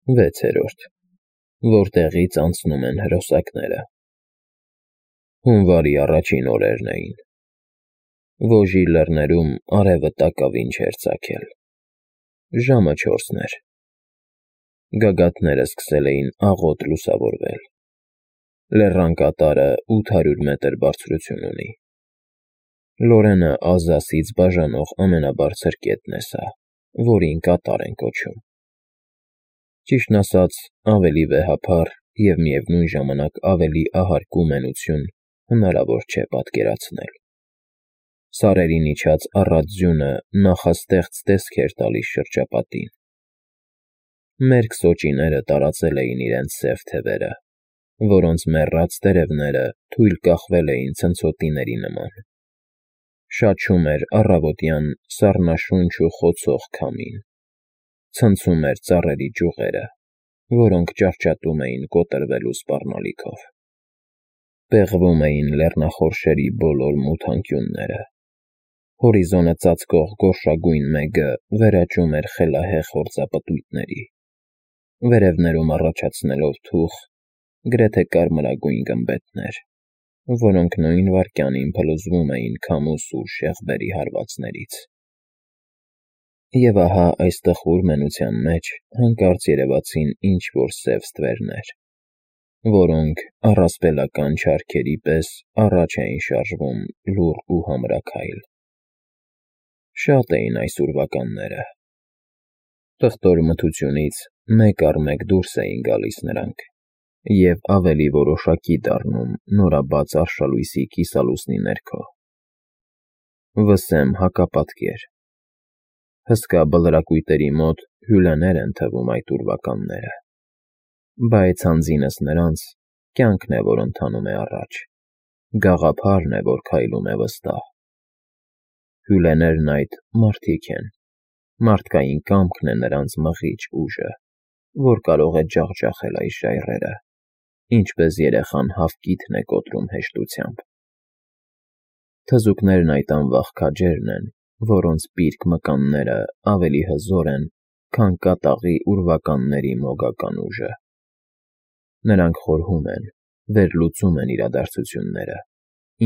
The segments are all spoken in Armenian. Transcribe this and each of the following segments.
6. Որտեղից անցնում են հրոսակները։ Հունվարի առաջին օրերն էին։ Վոժի լեռներում արևը տակավին չէր ծագել։ Ժամը 4-ն էր։ Գագաթները սկսել էին աղոտ լուսավորվել։ Լեռան կատարը 800 մետր բարձրություն ունի։ Լորենը Ալզասից բաժանող ամենաբարձր կետն է սա, որին կատար են կոչում։ Ճիշտն ասած, ավելի վեհափառ և միևնույն ժամանակ ավելի ահարկու մենություն հնարավոր չէ պատկերացնել։ Սարերին իջած առատ ձյունը նախաստեղծ տեսք էր տալիս շրջապատին։ Մերկ սոճիները տարածել էին իրենց սև թևերը, որոնց մեռած տերևները թույլ կախվել էին ցնցոտիների նման։ Շաչում էր առավոտյան սառնաշունչ ու խոցող քամին։ Ցնցում էր ծառերի ճյուղերը, որոնք ճարճատում էին կոտրվելու սպառնալիքով։ Պեղվում էին լեռնախորշերի բոլոր մութ անկյունները։ Հորիզոնը ծածկող գորշագույն մեգը վերաճում էր խելահեղ հորձապտույտների, վերևներում առաջացնելով թուխ, գրեթե կարմրագույն գմբեթներ, որոնք նույն վայրկյանին փլուզվում էին քամու սուր շեղբերի հարվածներից։ Եվ ահա այս տխուր մենության մեջ հանկարծ երևացին ինչ-որ սև ստվերներ, որոնք առասպելական չարքերի պես առաջ էին շարժվում լուռ ու համրաքայլ։ Շատ էին այս ուրվականները։ Տղտոր մթությունից մեկ առ մեկ դուրս էին գալիս նրանք և ավելի որոշակի դառնում նորաբաց արշալույսի կիսալուսնի ներքո։ Վսեմ հակապատկեր։ Հսկա բլրակույտերի մոտ հյուլեներ են թվում այդ ուրվականները, բայց հանձինս նրանց կյանքն է, որ ընթանում է առաջ, գաղափարն է, որ քայլում է վստահ։ Հյուլեներն այդ մարդիկ են, մարդկային կամքն է նրանց մղիչ ուժը, որ կարող է ջախջախել այս ժայռերը, ինչպես երեխան հավկիթն է կոտրում հեշտությամբ։ Թզուկներն այդ անվախ քաջերն են, որոնց պիրկ մկանները ավելի հզոր են, քան կատաղի ուրվականների մոգական ուժը։ Նրանք խորհում են, վերլուծում են իրադարձությունները,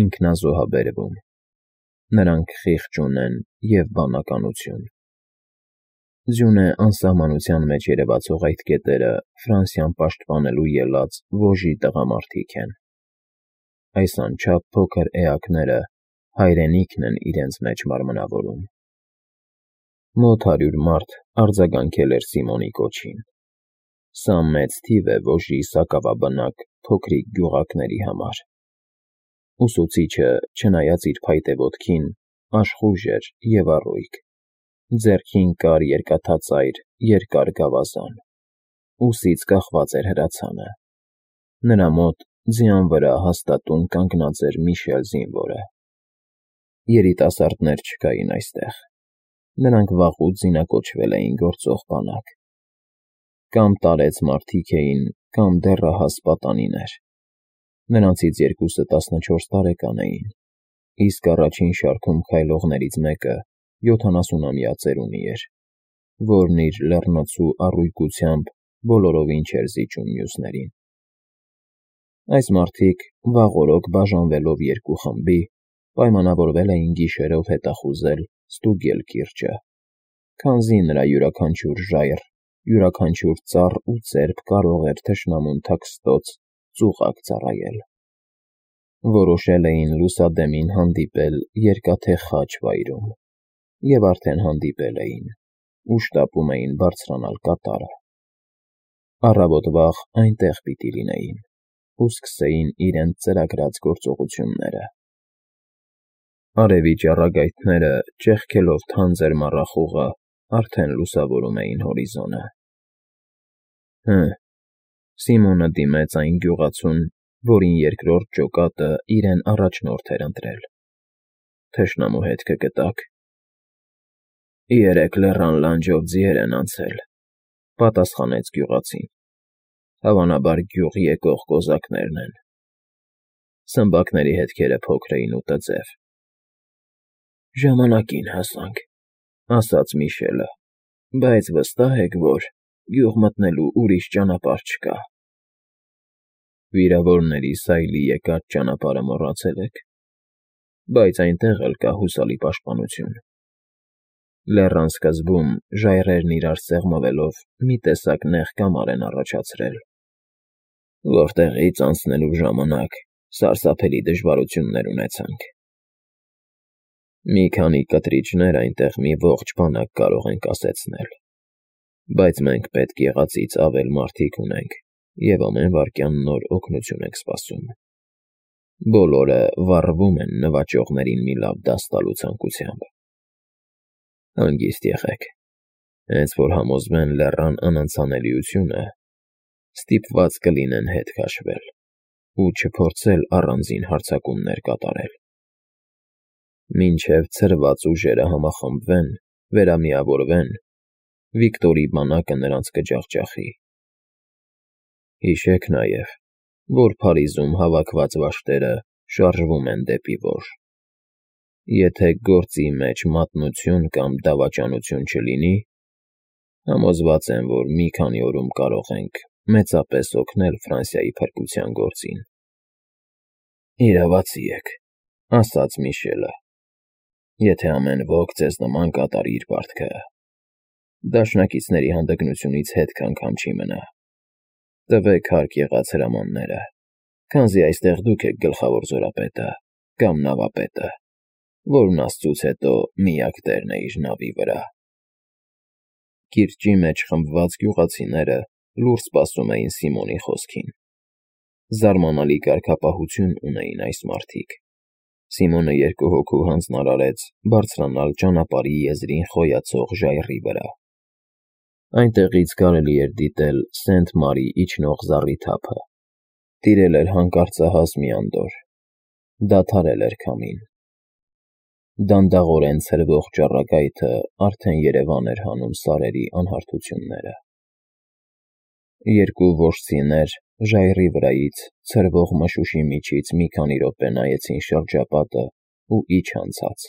ինքնազոհաբերվում։ Նրանք խիղճ ունեն և բանականություն։ Ձյունե անսահմանության մեջ երևացող այդ կետերը Ֆրանսիան պաշտպանելու ելած Վոժի տղամարդիկ են։ Այս անչափ փոքր էակները հայրենիքն են իրենց մեջ մարմնավորում։ Մոտ 100 մարդ արձագանքել էր Սիմոնի կոչին։ Սա մեծ թիվ է Վոժի սակավաբնակ փոքրիկ գյուղակների համար։ Ուսուցիչը, չնայած իր փայտե ոտքին, աշխույժ էր և առույգ։ Ձեռքին կար երկաթածայր երկար գավազան։ Ուսից կախված էր հրացանը։ Նրա մոտ ձյան վրա հաստատուն կանգնած էր Միշել զինվորը։ Երիտասարդներ չկային այստեղ։ Նրանք վաղուց զինակոչվել էին գործող բանակ։ Կամ տարեց մարդիկ էին, կամ դեռահաս պատանիներ։ Նրանցից երկուսը 14 տարեկան էին, իսկ առաջին շարքում քայլողներից մեկը 70-ամյա ծերունի էր, որն իր լեռնոցու առույգությամբ բոլորովին չէր զիջում մյուսներին։ Այս մարդիկ, վաղօրոք բաժանվելով երկու խմբի, պայմանավորվել էին գիշերով հետախուզել Ստուգել կիրճը, քանզի նրա յուրաքանչյուր ժայռ, յուրաքանչյուր ծառ ու ծերբ կարող էր թշնամուն թաքստոց ծուղակ ծառայել։ Որոշել էին լուսադեմին հանդիպել Երկաթե Խաչ վայրում, և արդեն հանդիպել էին, ու շտապում էին բարձրանալ կատարը։ Առավոտ վաղ այնտեղ պիտի լինեին ու սկսեին իրենց ծրագրած գործողությունները։ Արևի ճառագայթները, ճեղքելով թանձր մառախուղը, արդեն լուսավորում էին հորիզոնը։ Սիմոնը դիմեց այն գյուղացուն, որին երկրորդ ջոկատը իրեն առաջնորդ էր ընտրել։ Թշնամու հետքը գտա՞ք։ Երեք լեռան լանջով ձիեր են անցել, պատասխանեց գյուղացին։ Հավանաբար գյուղ եկող կոզակներն են։ Սմբակների հետքերը փոքր էին ու տձև։ Ժամանակին հասանք, ասաց Միշելը, բայց վստահ եք, որ… գյուղ մտնելու ուրիշ ճանապարհ չկա։ Վիրավորների սայլի եկած ճանապարհը մոռացել եք, բայց այնտեղ էլ կա հուսալի պաշտպանություն։ Լեռան սկզբում ժայռերն իրար սեղմվելով մի տեսակ նեղ կամար են առաջացրել, որտեղից անցնելու ժամանակ սարսափելի դժվարություններ ունեցանք։ Մի քանի կտրիչներ այնտեղ մի ողջ բանակ կարող են կասեցնել, բայց մենք պետք եղածից ավել մարդիկ ունենք և ամեն վայրկյան նոր օգնություն ենք սպասում։ Բոլորը վառվում են նվաճողներին մի լավ դաս տալու ցանկությամբ։ Հանգիստ եղեք, հենց որ համոզվեն լեռան անանցանելիությունը, ստիպված կլինեն հետ քաշվել ու չփորձել առանձին հարձակումներ կատարել։ Մինչև ցրված ուժերը համախմբվեն, վերամիավորվեն, Վիկտորի բանակը նրանց կջախջախի։ Հիշեք նաև, որ Փարիզում հավաքված վաշտերը շարժվում են դեպի Վոշ։ Եթե գործի մեջ մատնություն կամ դավաճանություն չլինի, համոզված եմ, որ մի քանի օրում կարող ենք մեծապես օգնել Ֆրանսիայի փրկության գործին։ Իրավացի եք, ասաց Միշելը, եթե ամեն ոք ձեզ նման կատարի իր պարտքը, դաշնակիցների հանդգնությունից հետք անգամ չի մնա։ Տվեք հարկ եղած հրամանները, քանզի այստեղ դուք եք գլխավոր զորապետը կամ նավապետը, որն աստծուց հետո միակ տերն է իր նավի վրա։ Կիրճի մեջ խմբված գյուղացիները լուր սպասում էին Սիմոնի խոսքին։ Զարմանալի կարգապահություն ունեին այս մարդիկ։ Սիմոնը երկու հոգու հանձնարարեց բարձրանալ ճանապարհի եզրին խոյացող ժայռի վրա։ Այնտեղից կարելի էր դիտել Սենթ-Մարի իջնող զառիթափը։ Տիրել էր հանկարծահաս մի անդորր։ Դադարել էր քամին։ Դանդաղորեն ցրվող ճառագայթը արդեն երևան էր հանում սարերի անհարթությունները։ Երկու որջցիներ ժայռի վրայից ցրվող մշուշի միջից մի քանի րոպե նայեցին շրջապատը ու իջ անցած։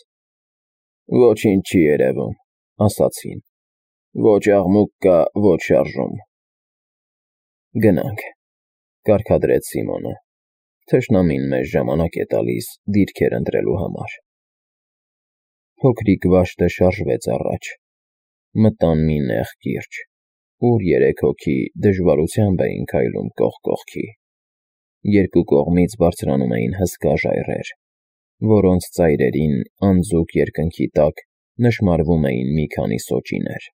Ոչինչ չի երևում, ասացին։ Ոչ աղմուկ կա, ոչ շարժում։ Գնանք, կարգադրեց Սիմոնը։ Թշնամին մեզ ժամանակ է տալիս դիրքեր ընտրելու համար։ Փոքրիկ վաշտը շարժվեց առաջ։ Մտան մի նեղ կիրճ, ուր երեք հոգի դժվարությամբ էին քայլում կողք կողքի։ Երկու կողմից բարձրանում էին հսկա ժայռեր, որոնց ծայրերին անձուկ երկնքի տակ նշմարվում էին մի քանի սոճիներ։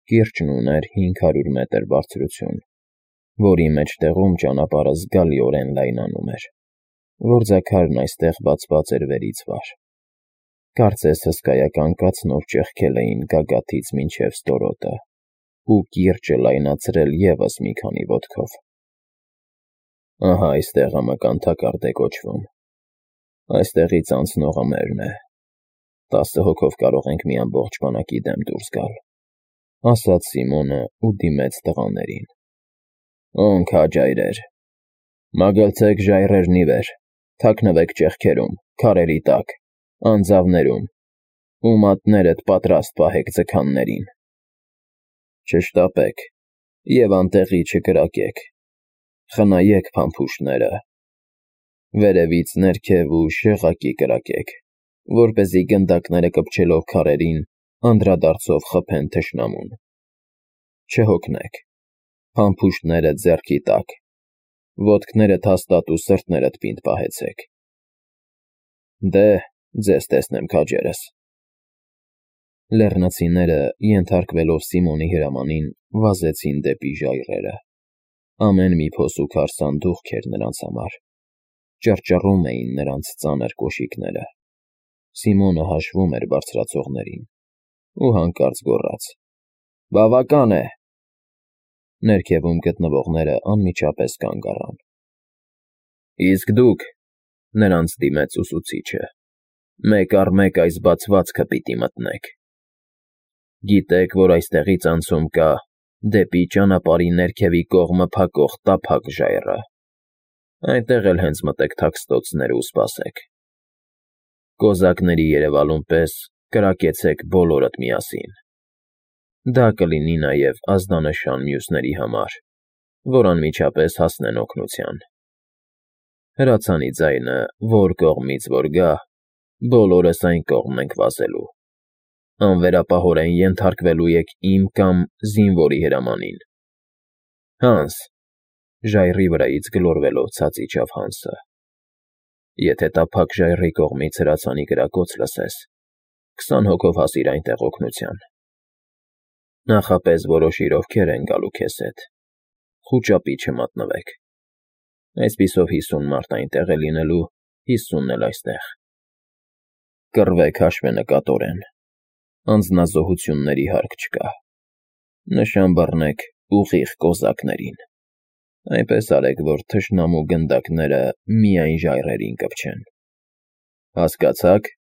Կիրճն ուներ 500 մետր բարձրություն, որի մեջտեղում ճանապարհը զգալիորեն լայնանում էր։ Գործաքարն այստեղ բացված էր վերից վար։ Կարծես հսկայական կացնով ճեղքել էին գագաթից մինչև ստորոտը ու կիրճը լայնացրել ևս մի քանի ոտքով։ Ահա այստեղ ամական թակարդ է կոչվում։ Այստեղից անցնողը մերն է։ 10 հոգով կարող ենք մի ամբողջ բանակի դեմ դուրս գալ, ասաց Սիմոնը ու դիմեց տղաներին։ Օն քաջայրեր, մագլցեք ժայռերն ի վեր, թաքնվեք ճեղքերում, քարերի տակ, անձավներում, ու մատներդ պատրաստ պահեք ձգաններին։ Չշտապեք և անտեղի չկրակեք, խնայեք փամփուշտները, վերևից ներքև ու շեղակի կրակեք, որպեսզի գնդակները կպչելով քարերին անդրադարձով խփեն թշնամուն։ Չհոգնեք, փամփուշտները ձեռքի տակ, ոտքներդ հաստատ ու սրտներդ պինդ պահեցեք։ Դե, ձեզ տեսնեմ քաջերս։ Լեռնացիները, ենթարկվելով Սիմոնի հրամանին, վազեցին դեպի ժայռերը։ Ամեն մի փոսուքար սանդուղք էր նրանց համար։ Ճռճռում էին նրանց ծանր կոշիկները։ Սիմոնը հաշվում էր բարձրացողներին ու հանկարծ գոռաց. Բավական է։ Ներքևում գտնվողները անմիջապես կանգ առան։ Իսկ դուք, նրանց դիմեց ուսուցիչը, մեկ առ մեկ այս բացվածքը պիտի մտնեք։ Գիտեք, որ այստեղից անցում կա դեպի ճանապարհի ներքևի կողմը փակող տափակ ժայռը։ Այնտեղ էլ հենց մտեք թաքստոցները ու սպասեք։ Կոզակների երևալուն պես կրակեցեք բոլորդ միասին։ Դա կլինի նաև ազդանշան մյուսների համար, որ անմիջապես հասնեն օգնության։ Հրացանի ձայնը, որ կողմից որ գա, բոլորս այն կողմ ենք վազելու։ Անվերապահորեն ենթարկվելու եք իմ կամ զինվորի հրամանին։ Հանս, ժայռի վրայից գլորվելով ցած իջավ Հանսը։ Եթե տափակ ժայռի կողմից հրացանի կրակոց լսես, 20 հոգով հասիր այնտեղ օգնության։ Նախապես որոշիր ովքեր են գալու քեզ հետ։ Խուճապի չմատնվեք։ Այսպիսով 50 մարդ այնտեղ է լինելու, 50-ն էլ այստեղ։ Կռվեք հաշվենկատորեն։ Անձնազոհությունների հարկ չկա։ Նշան բռնեք ուղիղ կոզակներին։ Այնպես արեք, որ թշնամու գնդակները միայն ժայռերին կպչեն։ Հասկացա՞ք։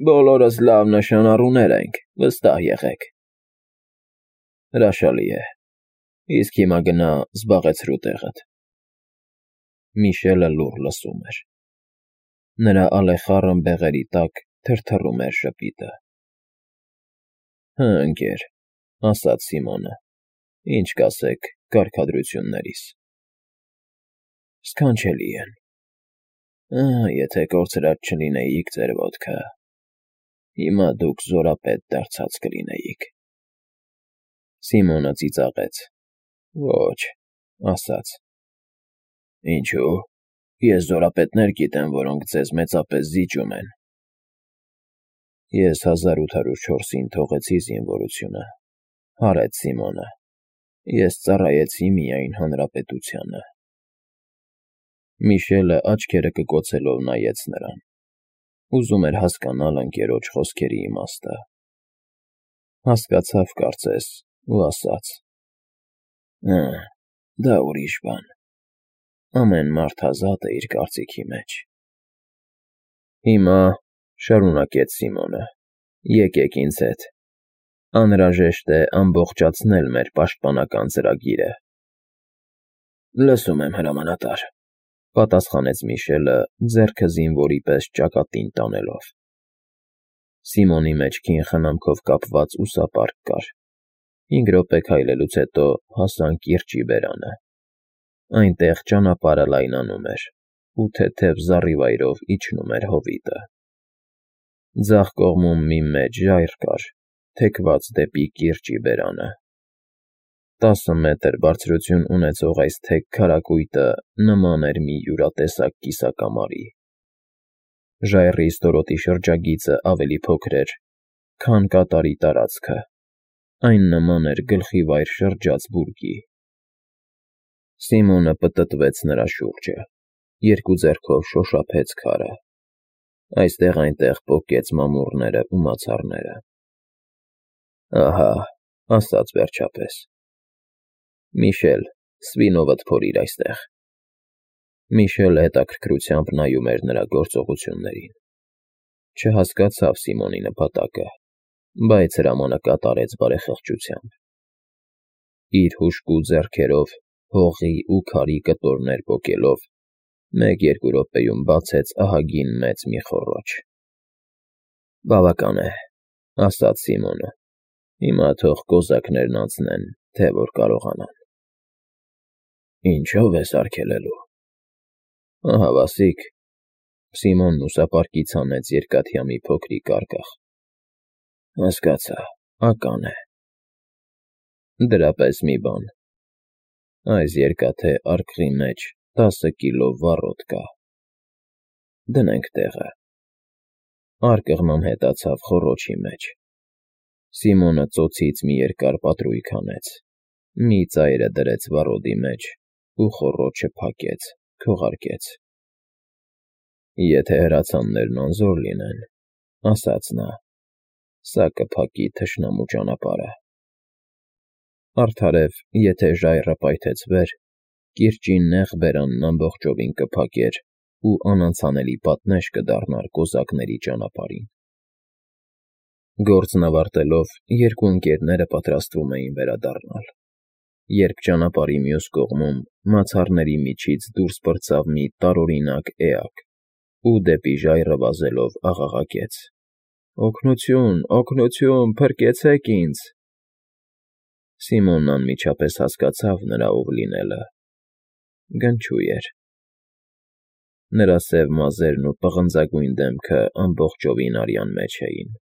Բոլորս լավ նշանառուներ ենք, վստահ եղեք։ Հրաշալի է։ Իսկ հիմա գնա զբաղեցրու տեղդ։ Միշելը լուռ լսում էր։ Նրա ալեխառն բեղերի տակ թրթռում էր ժպիտը։ Հը, ընկեր, ասաց Սիմոնը, ինչ կասեք կարգադրություններիս։ Սքանչելի են։ Եթե կորցրած չլինեիք ձեր ոտքը, հիմա դուք զորապետ դարձած կլինեիք։ Սիմոնը ծիծաղեց։ Ոչ, ասաց։ Ինչու՞։ Ես զորապետներ գիտեմ, որոնք ձեզ մեծապես զիջում են։ Ես 1804-ին թողեցի զինվորությունը, հարեց Սիմոնը։ Ես ծառայեցի միայն հանրապետությանը։ Միշելը աչքերը կկոցելով նայեց նրան։ Ուզում էր հասկանալ ընկերոջ խոսքերի իմաստը։ Հասկացավ, կարծես, ու ասաց. Դա ուրիշ բան։ Ամեն մարդ ազատ է իր կարծիքի մեջ։ Հիմա, շարունակեց Սիմոնը, եկեք ինձ հետ։ Անհրաժեշտ է ամբողջացնել մեր պաշտպանական ծրագիրը։ Լսում եմ, հրամանատար, պատասխանեց Միշելը, ձեռքը զինվորի պես ճակատին տանելով։ Սիմոնի մեջքին խնամքով կապված ուսապարկ կար։ 5 րոպե քայլելուց հետո հասան կիրճի բերանը։ Այնտեղ ճանապարհը լայնանում էր, ու թեթև զառիվայրով իջնում էր հովիտը։ Ձախ կողմում մի մեծ ժայռ կար, թեքված դեպի կիրճի բերանը։ 10 մետր բարձրություն ունեցող այս թեք քարակույտը նման էր մի յուրատեսակ կիսակամարի։ Ժայռի ստորոտի շրջագիծը ավելի փոքր էր, քան կատարի տարածքը։ Այն նման էր գլխիվայր շրջած բուրգի։ Սիմոնը պտտվեց նրա շուրջը, երկու ձեռքով շոշափեց քարը։ Այստեղ-այնտեղ պոկեց մամուռները ու մացառները։ Ահա, ասաց վերջապես։ Միշել, սվինովդ փորիր այստեղ։ Միշելը հետաքրքրությամբ նայում էր նրա գործողություններին։ Չհասկացավ Սիմոնի նպատակը, բայց հրամանը կատարեց բարեխղճությամբ։ Իր հուժկու ձեռքերով հողի ու քարի կտորներ պոկելով, 1-2 րոպեում բացեց ահագին մեծ մի խոռոչ։ Բավական է, ասաց Սիմոնը։ Հիմա թող կոզակներն անցնեն, թե որ կարողանան։ Ինչով ես արգելելու։ Ահա վասիկ։ Սիմոնն ուսապարկից հանեց երկաթյա մի փոքրիկ արգաղ։ Հասկացա, ական է։ Դրա պես մի բան։ Այս երկաթե արգղի մեջ 10 կիլո վառոդ կա։ Դնենք տեղը։ Արգղն անհետացավ խոռոչի մեջ։ Սիմոնը ծոցից մի երկար պատրույգ հանեց, մի ծայրը դրեց վառոդի մեջ ու խոռոչը փակեց, քողարկեց։ Եթե հրացաններն անզոր լինեն, ասաց նա, սա կփակի թշնամու ճանապարհը։ Արդարև, եթե ժայռը պայթեցվեր, կիրճի նեղ բերանն ամբողջովին կփակեր ու անանցանելի պատնեշ կդառնար կոզակների ճանապարհին։ Գործն ավարտելով, երկու ընկերները պատրաստվում էին վերադառնալ, երբ ճանապարհի մյուս կողմում մացառների միջից դուրս պրծավ մի տարօրինակ էակ ու դեպի ժայռը վազելով աղաղակեց. Օգնություն, օգնություն, փրկեցեք ինձ… Սիմոնն անմիջապես հասկացավ նրա ով լինելը… Գնչուй էր… Նրա սև մազերն ու պղնձագույն դեմքը ամբողջովին արյան մեջ էին։